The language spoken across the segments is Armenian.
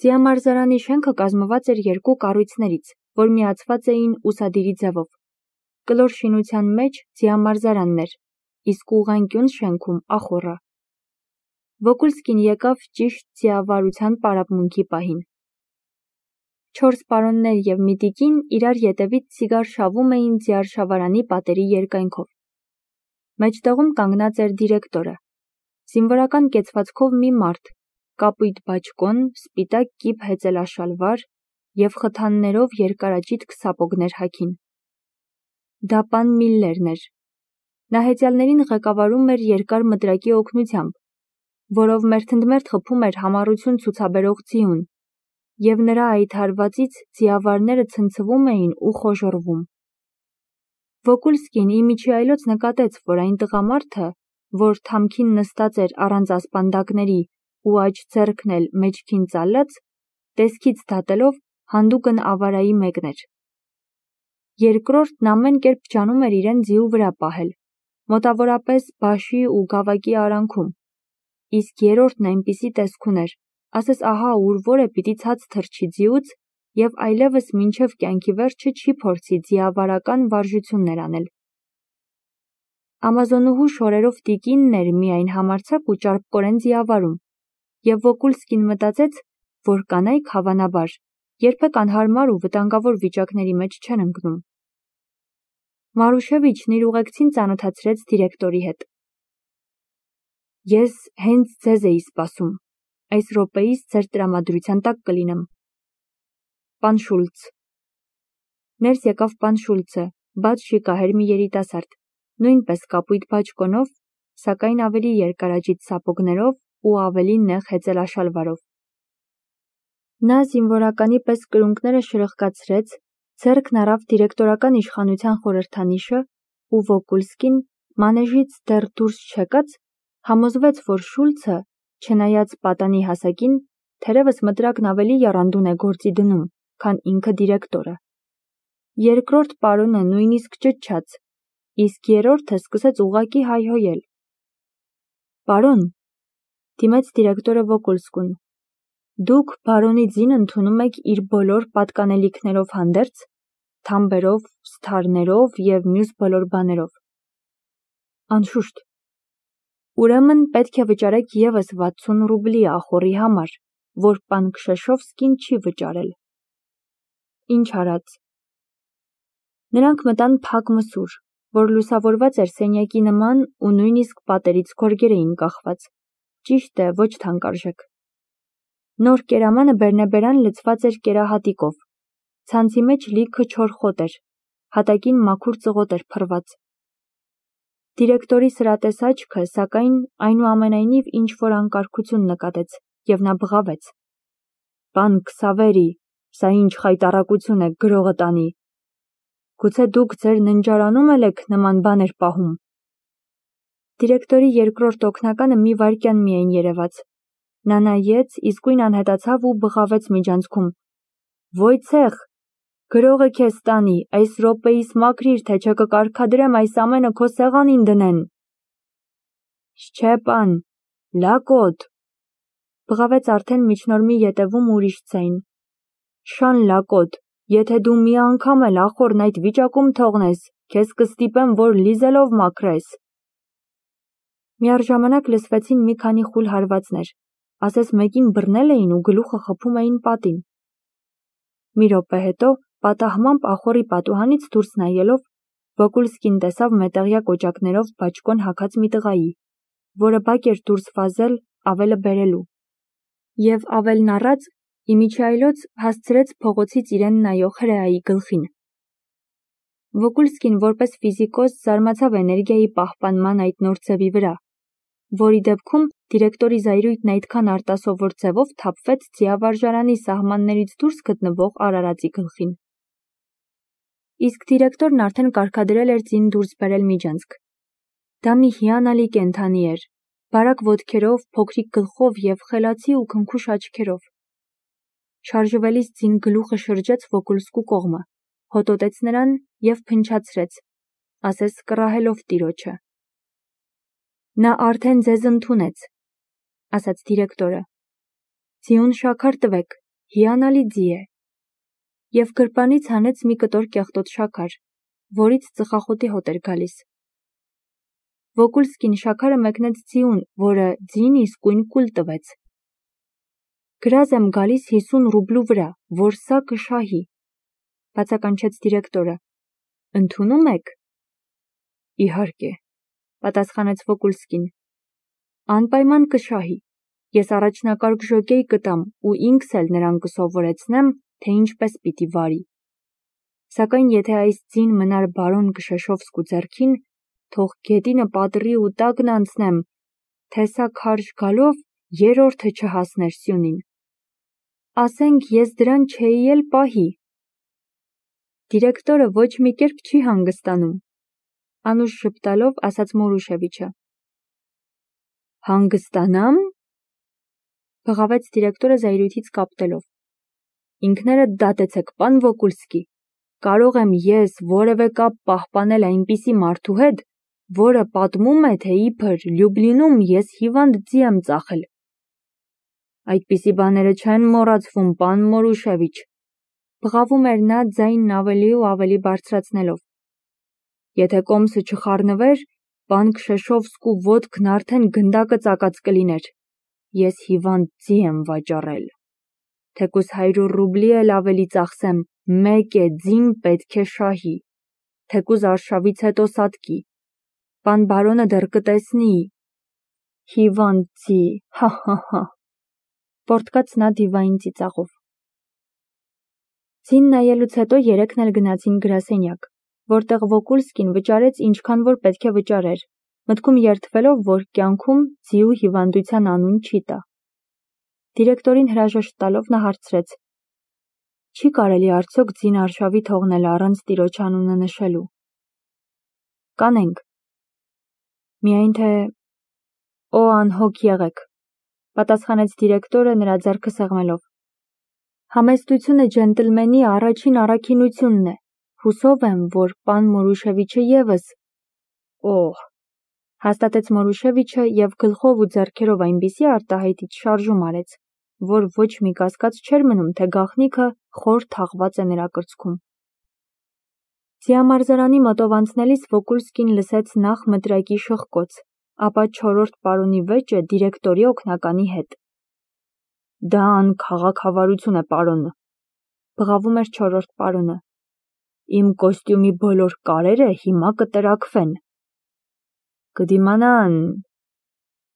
Ձիամարզարանի շենքը կազմված էր երկու կառույցներից, որ միացված էին ուսադիրի ձևով։ Կլոր շինության մեջ ձիամարզարանն էր, իսկ ուղղանկյուն շենքում ախոռը։ Վոկուլսկին եկավ ճիշտ ձիավարության պարապմունքի պահին։ 4 պարոններ և մի տիկին իրար ետևից սիգար շավում էին ձիարշավարանի պատերի երկայնքով։ Մեջտեղում կանգնած էր դիրեկտորը, զինվորական կեցվածքով մի մարդ, կապույտ բաճկոն, սպիտակ կիպ հեծելաշալվար և խթաններով երկարաճիտ քսապոգներ հագին։ Դա պան Միլլերն էր։ Նա հեծյալներին ղեկավարում էր երկար մտրակի օգնությամբ, որով մերթընդմերթ խփում էր համառություն ցուցաբերող ձիուն, և նրա այդ հարվածից ձիավարները ցնցվում էին ու խոժոռվում։ Վոկուլսկին իմիջիայլոց նկատեց, որ այն տղամարդը, որ թամքին նստած էր առանց ասպանդակների ու աջ ձեռքն էլ մեջքին ծալած, տեսքից դատելով հանդուգն ավարայի մեկն էր։ Երկրորդն ամեն կերպ ջանում էր իրեն ձիու վրա պահել, մոտավորապես բաշի ու գավակի արանքում, իսկ երրորդն այնպիսի տեսք ուներ, ասես ահա ուր որ է պիտի ցած թռչի ձիուց և այլևս մինչև կյանքի վերջը չի փորձի ձիավարական վարժություններ անել։ Ամազոնուհու շորերով տիկինն էր միայն համարձակ ու ճարպկորեն ձիավարում, և Վոկուլսկին մտածեց, որ կանայք հավանաբար երբեք անհարմար ու վտանգավոր վիճակների մեջ չեն ընկնում։ Մարուշևիչն իր ուղեկցին ծանոթացրեց դիրեկտորի հետ։ Ես հենց ձեզ էի սպասում, այս րոպեիս ձեր տրամադրության տակ կլինեմ։ Պան Շուլց։ Ներս եկավ պան Շուլցը, բաց շիկահեր մի երիտասարդ, նույնպես կապույտ բաճկոնով, սակայն ավելի երկարաճիտ սապոգներով ու ավելի նեղ հեծելաշալվարով։ Նա զինվորականի պես կրունկները շրխկացրեց, ձեռքն առավ դիրեկտորական իշխանության խորհրդանիշը ու Վոկուլսկին, մանեժից դեռ դուրս չեկած, համոզվեց, որ Շուլցը, չնայած պատանի հասակին, թերևս մտրակն ավելի եռանդուն է գործի դնում, քան ինքը դիրեկտորը։ Երկրորդ պարոնը նույնիսկ ճչաց, իսկ երրորդը սկսեց ուղղակի հայհոյել։ Պարոն, դիմեց դիրեկտորը Վոկուլսկուն, դուք բարոնի ձին ընդունում եք իր բոլոր պատկանելիքներով հանդերձ, թամբերով, սթարներով և մյուս բոլոր բաներով։ Անշուշտ։ Ուրեմն պետք է վճարեք ևս 60 ռուբլի ախոռի համար, որ պան Քշեշովսկին չի վճարել։ Ինչ արած։ Նրանք մտան փակ մսուր, որ լուսավորված էր սենյակի նման ու նույնիսկ պատերից գորգեր էին կախված, ճիշտ է, ոչ թանկարժեք։ Նոր կերամանը բերնեբերան լցված էր կերահատիկով, ցանցի մեջ լիքը չոր խոտ էր, հատակին մաքուր ծղոտ էր փռված։ Դիրեկտորի սրատես աչքը, սակայն, այնուամենայնիվ ինչ-որ անկարգություն նկատեց, և նա բղավեց. Պան Քսավերի, սա ինչ խայտառակություն է, գրողը տանի։ Գուցե դուք ձեր ննջարանում էլ եք նման բաներ պահում։ Դիրեկտորի երկրորդ օգնականը մի վայրկյան միայն երևաց։ Նա նայեց, իսկույն անհետացավ ու բղավեց միջանցքում. Վոյցեխ, գրողը քեզ տանի, այս րոպեիս մաքրիր, թե չէ կկարգադրեմ այս ամենը քո սեղանին դնեն։ Շչեպան, լակոտ, բղավեց արդեն միջնորմի ետևում ուրիշ ձայն։ Շան լակոտ, եթե դու մի անգամ էլ ախոռն այդ վիճակում թողնես, քեզ կստիպեմ, որ լիզելով մաքրես։ Միառժամանակ լսվեցին մի քանի խուլ հարվածներ, ասես մեկին բռնել էին ու գլուխը խփում էին պատին։ Մի րոպե հետո, պատահմամբ ախոռի պատուհանից դուրս նայելով, Վոկուլսկին տեսավ մետաղյա կոճակներով բաճկոն հագած մի տղայի, որը բակ էր դուրս վազել ավելը բերելու։ Եվ ավելն առած, իմիջիայլոց հասցրեց փողոցից իրեն նայող հրեայի գլխին։ Վոկուլսկին որպես ֆիզիկոս զարմացավ էներգիայի պահպանման այդ նոր ձևի վրա, որի դեպքում դիրեկտորի զայրույթն այդքան արտասովոր ձևով թափվեց ձիավարժարանի սահմաններից դուրս գտնվող արարածի գլխին։ Իսկ դիրեկտորն արդեն կարգադրել էր ձին դուրս բերել միջանցք։ Դա մի հիանալի կենդանի էր, բարակ ոտքերով, փոքրիկ գլխով և խելացի ու քնքուշ աչքերով։ Շարժվելիս ձին գլուխը շրջեց Վոկուլսկու կողմը, հոտոտեց նրան և փնչացրեց, ասես կռահելով տիրոջը։ Նա արդեն ձեզ ընդունեց, ասաց դիրեկտորը։ Ձիուն շաքար տվեք, հիանալի ձի է։ Եվ գրպանից հանեց մի կտոր կեղտոտ շաքար, որից ծխախոտի հոտ էր գալիս։ Վոկուլսկին շաքարը մեկնեց ձիուն, որը ձին իսկույն կուլ տվեց։ Գրազ եմ գալիս 50 ռուբլու վրա, որ սա կշահի, բացականչեց դիրեկտորը։ Ընդունում եք։ Իհարկե, պատասխանեց Վոկուլսկին։ Անպայման կշահի։ Ես առաջնակարգ ժոկեյ կտամ ու ինքս էլ նրան կսովորեցնեմ, թե ինչպես պիտի վարի։ Սակայն եթե այս ձին մնար բարոն Կշեշովսկու ձեռքին, թող գետինը պատռի ու տակն անցնեմ, թե սա քարշ գալով երրորդը չհասներ սյունին։ Ասենք ես դրան չէի էլ պահի։ Դիրեկտորը ոչ մի կերպ չի հանգստանում, անուշ ժպտալով ասաց Մորուշևիչը։ Հանգստանամ։ Բղավեց դիրեկտորը զայրույթից կապտելով։ Ինքներդ դատեցեք, պան Վոկուլսկի, կարող եմ ես որևէ կապ պահպանել այնպիսի մարդու հետ, որը պատմում է, թե իբր Լյուբլինում ես հիվանդ ձի եմ ծախել։ Այդպիսի բաները չեն մոռացվում, պան Մորուշևիչ, բղավում էր նա ձայնն ավելի ու ավելի բարձրացնելով։ Եթե կոմսը չխառնվեր, պան Կշեշովսկու ոտքն արդեն գնդակը ծակած կլիներ։ Ես հիվանդ ձի եմ վաճառել։ Թեկուզ 100 ռուբլի էլ ավելի ծախսեմ, մեկ է ձին պետք է շահի։ Թեկուզ արշավից հետո սատկի։ Պան բարոնը դեռ կտեսնի։ Հիվանդ ձի, հա։ Պորտկաց նա դիվային ծիծաղով։ Ձին նայելուց հետո երեքն էլ գնացին գրասենյակ, որտեղ Վոկուլսկին վճարեց ինչքան որ պետք է վճարեր, մտքում երդվելով, որ կյանքում ձիու հիվանդության անուն չի տա։ Դիրեկտորին հրաժեշտ տալով նա հարցրեց. Չի կարելի արդյոք ձին արշավի թողնել առանց տիրոջ անունը նշելու։ Կանենք։ Միայն թե Օ անհոգ եղեք, պատասխանեց դիրեկտորը նրա ձեռքը սեղմելով։ Համեստությունը ջենտլմենի առաջին առաքինությունն է։ Հուսով եմ, որ պան Մորուշևիչը եւս հաստատեց Մորուշևիչը եւ գլխով ու ձեռքերով այնպիսի արտահայտիչ շարժում արեց, որ ոչ մի կասկած չէր մնում, թե գաղտնիքը խոր թաղված է նրա կրծքում։ Ձիամարզարանի մոտով անցնելիս Վոկուլսկին լսեց նախ մտրակի շխկոց, ապա չորրորդ պարոնի վեճը դիրեկտորի օգնականի հետ։ Դա անքաղաքավարություն է, պարոն, բղավում էր չորրորդ պարոնը։ Իմ կոստյումի բոլոր կարերը հիմա կտրաքվեն։ Կդիմանան,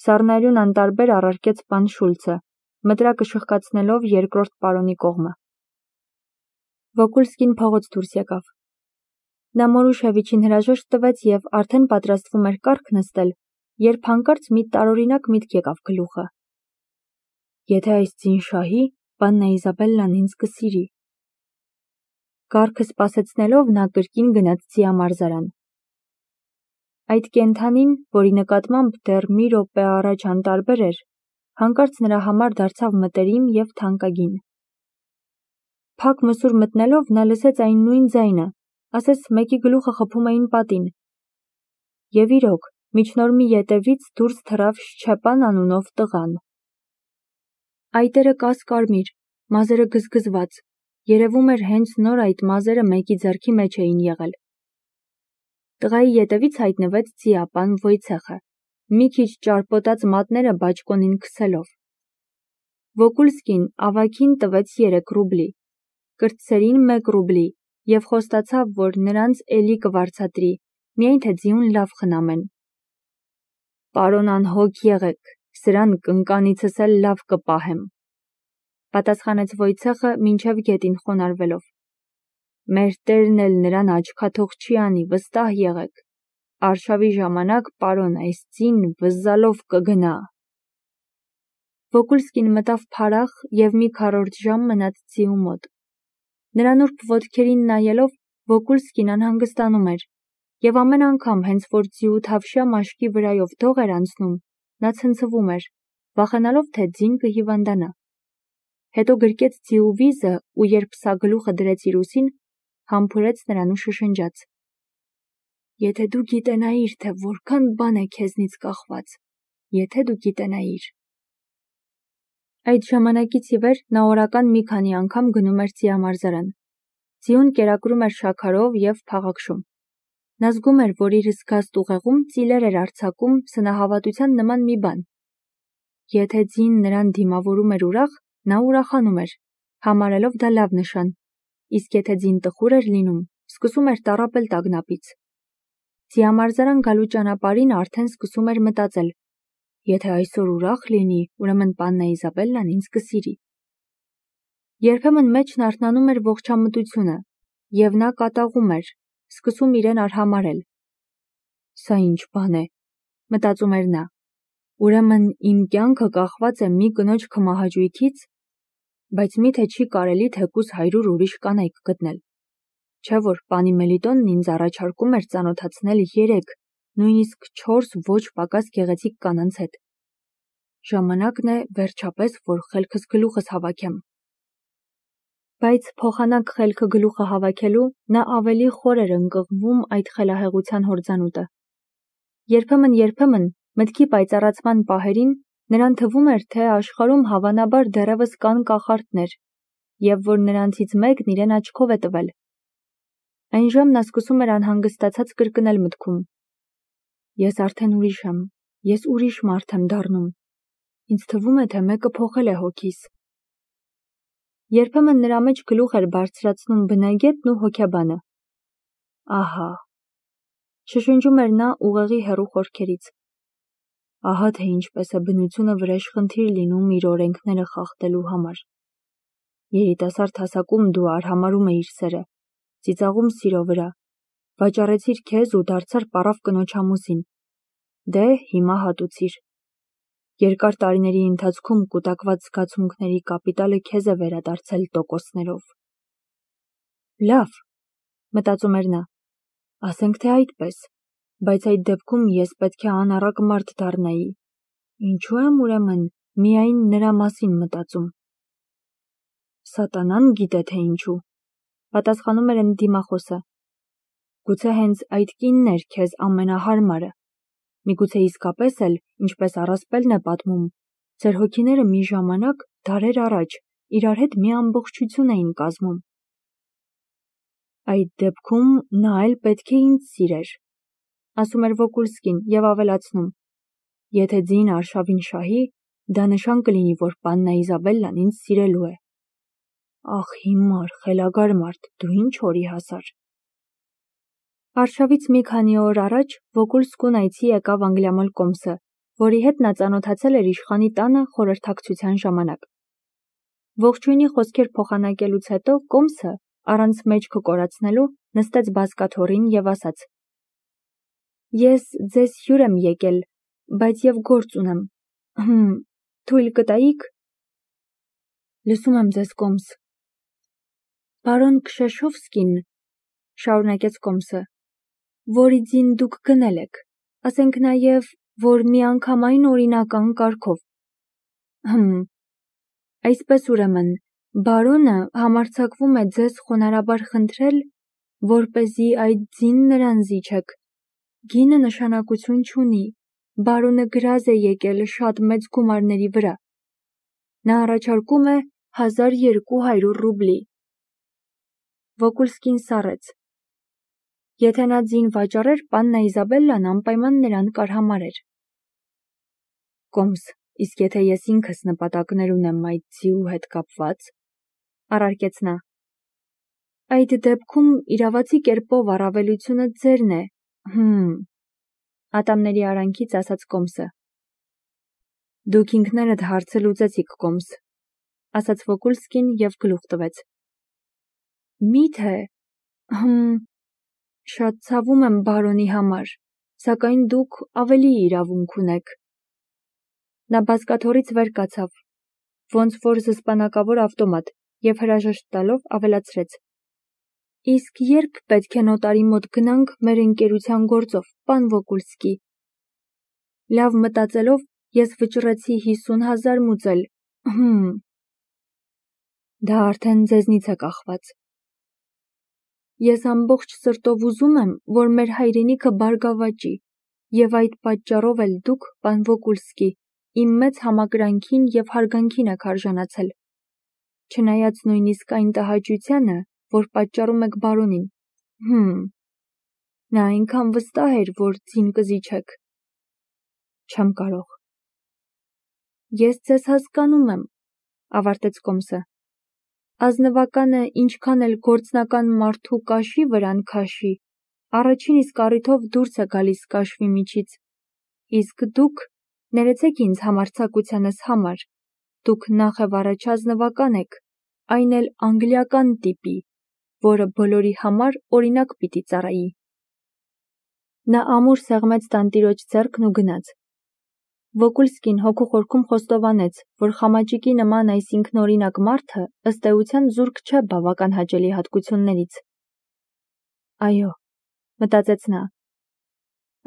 սառնարյուն անտարբեր առարկեց պան Շուլցը, մտրակը շխկացնելով երկրորդ պարոնի կողմը։ Վոկուլսկին փողոց դուրս եկավ։ Նա Մորուշևիչին հրաժեշտ տվեց եւ արդեն պատրաստվում էր կառք նստել, երբ հանկարծ մի տարօրինակ միտք եկավ գլուխը։ Եթե այս ձին շահի, պաննա Իզաբելլան ինձ կսիրի։ Կառքը սպասեցնելով նա կրկին գնաց ձիամարզարան։ Այդ կենդանին, որի նկատմամբ դեռ մի րոպե առաջ անտարբեր էր, հանկարծ նրա համար դարձավ մտերիմ եւ թանկագին։ Փակ մսուր մտնելով նա լսեց այն նույն ձայնը, ասես մեկի գլուխը խփում էին պատին։ Եվ իրոք, միջնորմի ետևից դուրս թռավ Շչեպան անունով տղան։ Այտերը կաս-կարմիր, մազերը գզգզված, երևում էր հենց նոր այդ մազերը մեկի ձեռքի մեջ էին եղել։ Տղայի ետևից հայտնվեց ձիապան Վոյցեխը, մի քիչ ճարպոտած մատները բաճկոնին քսելով։ Վոկուլսկին ավագին տվեց 3 ռուբլի, կրտսերին 1 ռուբլի եւ խոստացավ, որ նրանց էլի կվարձատրի, միայն թե ձիուն լավ խնամեն։ Պարոն անհոգ եղեք, սրան կնկանիցս էլ լավ կպահեմ, պատասխանեց Վոյցեխը մինչև գետին խոնարհվելով։ Մեր տերն էլ նրան աչքաթող չի անի, վստահ եղեք։ Արշավի ժամանակ պարոն այս ձին վզզալով կգնա։ Վոկուլսկին մտավ փարախ եւ մի քառորդ ժամ մնաց ձիու մոտ։ Նրա նուրբ ոտքերին նայելով Վոկուլսկին անհանգստանում էր, եւ ամեն անգամ հենց որ ձիու թավշյա մաշկի վրայով դող էր անցնում, նա ցնցվում էր, վախենալով, թե ձին կհիվանդանա։ Հետո գրկեց ձիու վիզը ու երբ սա գլուխը դրեց իր ուսին, համբուրեց նրան ու շշնջաց. Եթե դու գիտենայիր, թե որքան բան է քեզնից կախված, եթե դու գիտենայիր։ Այդ ժամանակից ի վեր նա օրական մի քանի անգամ գնում էր ձիամարզարան։ Ձիուն կերակրում էր շաքարով և փաղաքշում։ Նա զգում էր, որ իր զգաստ ուղեղում ծիլեր էր արձակում սնահավատության նման մի բան։ Եթե ձին նրան դիմավորում էր ուրախ, նա ուրախանում էր, համարելով դա լավ նշան, իսկ եթե ձին տխուր էր լինում, սկսում էր տառապել տագնապից։ Ձիամարզարան գալու ճանապարհին արդեն սկսում էր մտածել. եթե այսօր ուրախ լինի, ուրեմն պաննա Իզաբելլան ինձ կսիրի։ Երբեմն մեջն արթնանում էր ողջամտությունը, և նա կատաղում էր, սկսում իրեն արհամարհել։ Սա ինչ բան է, մտածում էր նա, ուրեմն իմ կյանքը կախված է մի կնոջ քմահաճույքից, բայց միթե չի կարելի թեկուզ 100 ուրիշ կանայք գտնել։ Չէ՞ որ պանի Մելիտոնն ինձ առաջարկում էր ծանոթացնել 3, նույնիսկ 4 ոչ պակաս գեղեցիկ կանանց հետ։ Ժամանակն է վերջապես, որ խելքս գլուխս հավաքեմ։ Բայց փոխանակ խելքը գլուխը հավաքելու նա ավելի խոր էր ընկղմվում այդ խելահեղության հորձանուտը։ Երբեմն մտքի պայծառացման պահերին նրան թվում էր, թե աշխարհում հավանաբար դեռևս կան կախարդներ, և որ նրանցից մեկն իրեն աչքով է տվել։ Այն ժամ նա սկսում էր անհանգստացած կրկնել մտքում. ես արդեն ուրիշ եմ, ես ուրիշ մարդ եմ դառնում, ինձ թվում է, թե մեկը փոխել է հոգիս։ Երբեմն նրա մեջ գլուխ էր բարձրացնում բնագետն ու հոգեբանը։ Ահա, շշնջում էր նա ուղեղի հեռու խորքերից։ Ահա թե ինչպես է բնությունը վրեժխնդիր լինում իր օրենքները խախտելու համար։ Երիտասարդ հասակում դու արհամարում էիր սերը, ծիծաղում սիրո վրա, վաճառեցիր քեզ ու դարձար պառավ կնոջ ամուսին։ Դե, հիմա հատուցիր։ Երկար տարիների ընթացքում կուտակված զգացմունքների կապիտալը քեզ է վերադարձել տոկոսներով։ Լավ, մտածում էր նա, ասենք թե այդպես, բայց այդ դեպքում ես պետք է անառակ մարդ դառնայի։ Ինչու եմ ուրեմն միայն նրա մասին մտածում։ Սատանան գիտե թե ինչու, պատասխանում էր ընդդիմախոսը։ Գուցե հենց այդ կինն էր քեզ ամենահարմարը։ Միգուցե իսկապես էլ, ինչպես առասպելն է պատմում, ձեր հոգիները մի ժամանակ, դարեր առաջ, իրար հետ մի ամբողջություն էին կազմում։ Այդ դեպքում նա էլ պետք է ինձ սիրեր, ասում էր Վոկուլսկին և ավելացնում. եթե ձին արշավին շահի, դա նշան կլինի, որ պաննա Իզաբելլան ինձ սիրելու է։ Ախ հիմար, խելագար մարդ, դու ինչ օրի հասար։ Արշավից մի քանի օր առաջ Վոկուլսկուն այցի եկավ անգլիամոլ կոմսը, որի հետ նա ծանոթացել էր իշխանի տանը խորհրդակցության ժամանակ։ Ողջույնի խոսքեր փոխանակելուց հետո կոմսը, առանց մեջքը կորացնելու, նստեց բազկաթոռին և ասաց. ես ձեզ հյուր եմ եկել, բայց և գործ ունեմ։ Թույլ կտայիք։ Լսում եմ ձեզ, կոմս։ Պարոն Քշեշովսկին, շարունակեց կոմսը, որի ձին դուք գնել եք, ասենք նաև, որ միանգամայն օրինական կարգով։ Այսպես ուրեմն, բարոնը համարձակվում է ձեզ խոնարհաբար խնդրել, որպեսզի այդ ձին նրան զիջեք։ Գինը նշանակություն չունի, բարոնը գրազ է եկել շատ մեծ գումարների վրա։ Նա առաջարկում է 1200 ռուբլի։ Վոկուլսկին սառեց։ Եթե նա ձին վաճառեր, պաննա Իզաբելլան անպայման նրան կարհամարհեր։ Կոմս, իսկ եթե ես ինքս նպատակներ ունեմ այդ ձիու հետ կապված, առարկեց նա։ Այդ դեպքում իրավացի կերպով առավելությունը ձերն է, ատամների արանքից ասաց կոմսը։ Դուք ինքներդ հարցը լուծեցիք, կոմս, ասաց Վոկուլսկին և գլուխ տվեց։ Միթե, շատ ցավում եմ բարոնի համար, սակայն դուք ավելի իրավունք ունեք։ Նա բազկաթոռից վեր կացավ, ոնց որ զսպանակավոր ավտոմատ, և հրաժեշտ տալով ավելացրեց. Իսկ երբ պետք է նոտարի մոտ գնանք մեր ընկերության գործով, պան Վոկուլսկի։ Լավ մտածելով, ես վճռեցի 50,000 մուծել։ Դա արդեն ձեզնից է կախված։ Ես ամբողջ սրտով ուզում եմ, որ մեր հայրենիքը բարգավաճի, և այդ պատճառով էլ դուք, պան Վոկուլսկի, իմ մեծ համակրանքին և հարգանքին եք արժանացել, չնայած նույնիսկ այն տհաճությանը, որ պատճառում եք բարոնին։ Նա այնքան վստահ էր, որ ձին կզիջեք։ Չեմ կարող։ Ես ձեզ հասկանում եմ, ավարտեց Կոմսը։ Ազնվականը ինչքան էլ գործնական մարդու կաշի վրան քաշի, առաջին իսկ առիթով դուրս է գալիս կաշվի միջից։ Իսկ դուք, ներեցեք ինձ համարձակությանս համար, դուք նախ եւ առաջ ազնվական եք, այն էլ անգլիական տիպի, որը բոլորի համար օրինակ պիտի ծառայի։ Նա ամուր սեղմեց տանտիրոջ ձեռքն ու գնաց։ Վոկուլսկին հոգու խորքում խոստովանեց, որ խամաճիկի նման այս ինքնօրինակ մարդը ըստ էության զուրկ չէ բավական հաճելի հատկություններից։ Այո, մտածեց նա,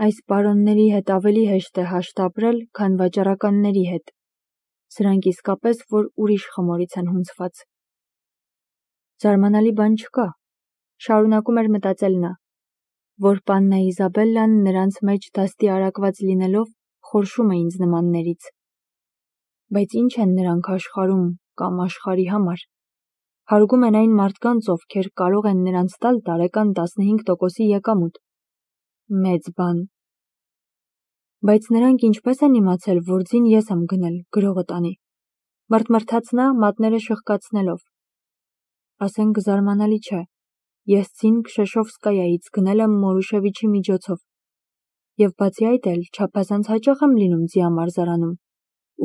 այս պարոնների հետ ավելի հեշտ է հաշտ ապրել, քան վաճառականների հետ։ Սրանք իսկապես որ ուրիշ խմորից են հունցված։ Զարմանալի բան չկա, շարունակում էր մտածել նա, որ պաննա Իզաբելլան նրանց մեջ դաստի արակված լինելով խորշում է ինձ նմաններից։ Բայց ինչ են նրանք աշխարհում կամ աշխարհի համար։ Հարգում են այն մարդկանց, ովքեր կարող են նրանց տալ տարեկան 15%-ի եկամուտ։ Մեծ բան։ Բայց նրանք ինչպես են իմացել, որ ձին ես եմ գնել գրողը տանի։ Մռթմռթաց նա մատները շղկացնելով։ Ասենք զարմանալի չէ։ Ես ձին Քշեշովսկայայից գնել եմ Մորուշևիչի միջոցով։ Եվ բացի այդ էլ չափազանց հաճախ եմ լինում ձիամարզարանում,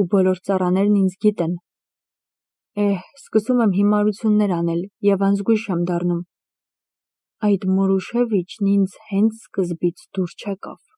ու բոլոր ծառաներն ինձ գիտեն։ Սկսում եմ հիմարություններ անել և անզգույշ եմ դառնում։ Այդ Մորուշևիչն ինձ հենց սկզբից դուր չեկավ։